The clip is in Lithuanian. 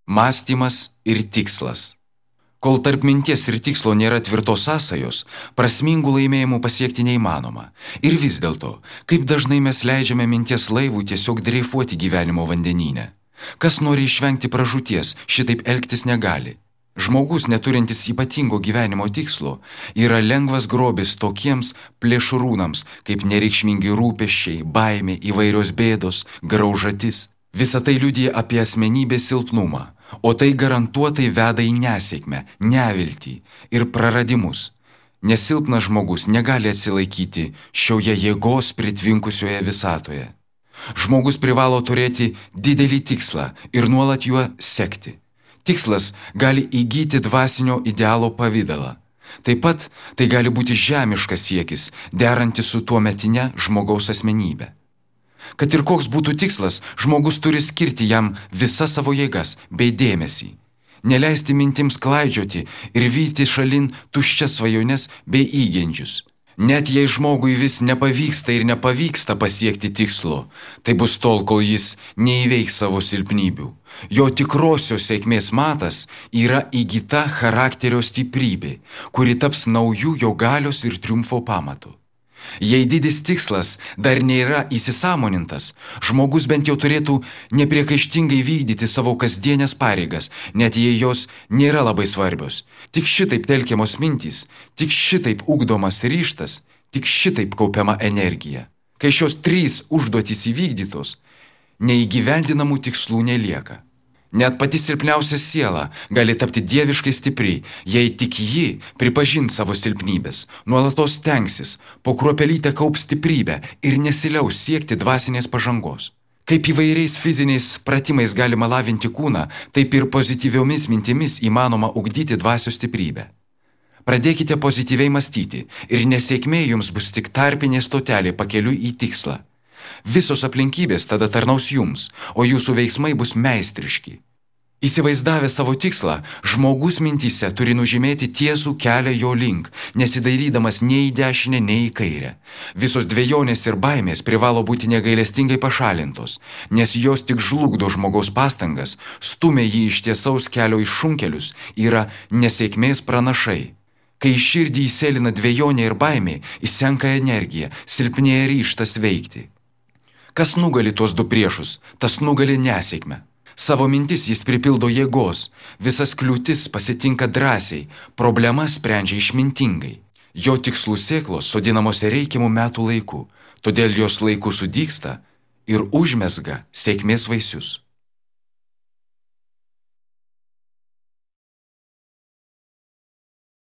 Mąstymas ir tikslas. Kol tarp minties ir tikslo nėra tvirtos sąsajos, prasmingų laimėjimų pasiekti neįmanoma. Ir vis dėlto, kaip dažnai mes leidžiame minties laivui tiesiog dreifuoti gyvenimo vandenyne. Kas nori išvengti pražūties, šitaip elgtis negali. Žmogus, neturintis ypatingo gyvenimo tikslo, yra lengvas grobis tokiems plėšrūnams, kaip nereikšmingi rūpesčiai, baimė, įvairios bėdos, graužatis. Visa tai liudija apie asmenybės silpnumą, o tai garantuotai veda į nesėkmę, neviltį ir praradimus. Nes silpnas žmogus negali atsilaikyti šioje jėgos pritvinkusioje visatoje. Žmogus privalo turėti didelį tikslą ir nuolat juo sekti. Tikslas gali įgyti dvasinio idealo pavidalą. Taip pat tai gali būti žemiškas siekis, derantis su tuometinė žmogaus asmenybė. Kad ir koks būtų tikslas, žmogus turi skirti jam visas savo jėgas bei dėmesį. Neleisti mintims klaidžioti ir vyti šalin tuščias svajones bei įgeidžius. Net jei žmogui vis nepavyksta ir nepavyksta pasiekti tikslo, tai bus tol, kol jis neįveiks savo silpnybių. Jo tikrosios sėkmės matas yra įgyta charakterio stiprybė, kuri taps naujų jo galios ir triumfo pamatu. Jei didis tikslas dar nėra įsisąmonintas, žmogus bent jau turėtų nepriekaištingai vykdyti savo kasdienės pareigas, net jei jos nėra labai svarbios. Tik šitaip telkiamos mintys, tik šitaip ugdomas ryžtas, tik šitaip kaupiama energija. Kai šios 3 užduotys įvykdytos, neįgyvendinamų tikslų nelieka. Net pati silpniausia siela gali tapti dieviškai stipri, jei tik ji pripažins savo silpnybės, nuolatos stengsis, po kruopelytę kaups stiprybę ir nesiliaus siekti dvasinės pažangos. Kaip įvairiais fiziniais pratimais galima lavinti kūną, taip ir pozityviomis mintimis įmanoma ugdyti dvasios stiprybę. Pradėkite pozityviai mąstyti ir nesėkmė jums bus tik tarpinė stotelė pakeliui į tikslą. Visos aplinkybės tada tarnaus jums, o jūsų veiksmai bus meistriški. Įsivaizdavę savo tikslą, žmogus mintyse turi nužymėti tiesų kelią jo link, nesidairydamas nei į dešinę, nei į kairę. Visos dvejonės ir baimės privalo būti negailestingai pašalintos, nes jos tik žlugdo žmogaus pastangas, stumia jį iš tiesaus kelio į šunkelius, yra nesėkmės pranašai. Kai į širdį įsėlina dvejonė ir baimė, įsenka energija, silpnėja ryžtas veikti. Kas nugali tuos 2 priešus, tas nugali nesėkmę. Savo mintis jis pripildo jėgos, visas kliūtis pasitinka drąsiai, problemas sprendžia išmintingai. Jo tikslų sėklos sodinamos reikiamų metų laiku, todėl jos laiku sudygsta ir užmezga sėkmės vaisius.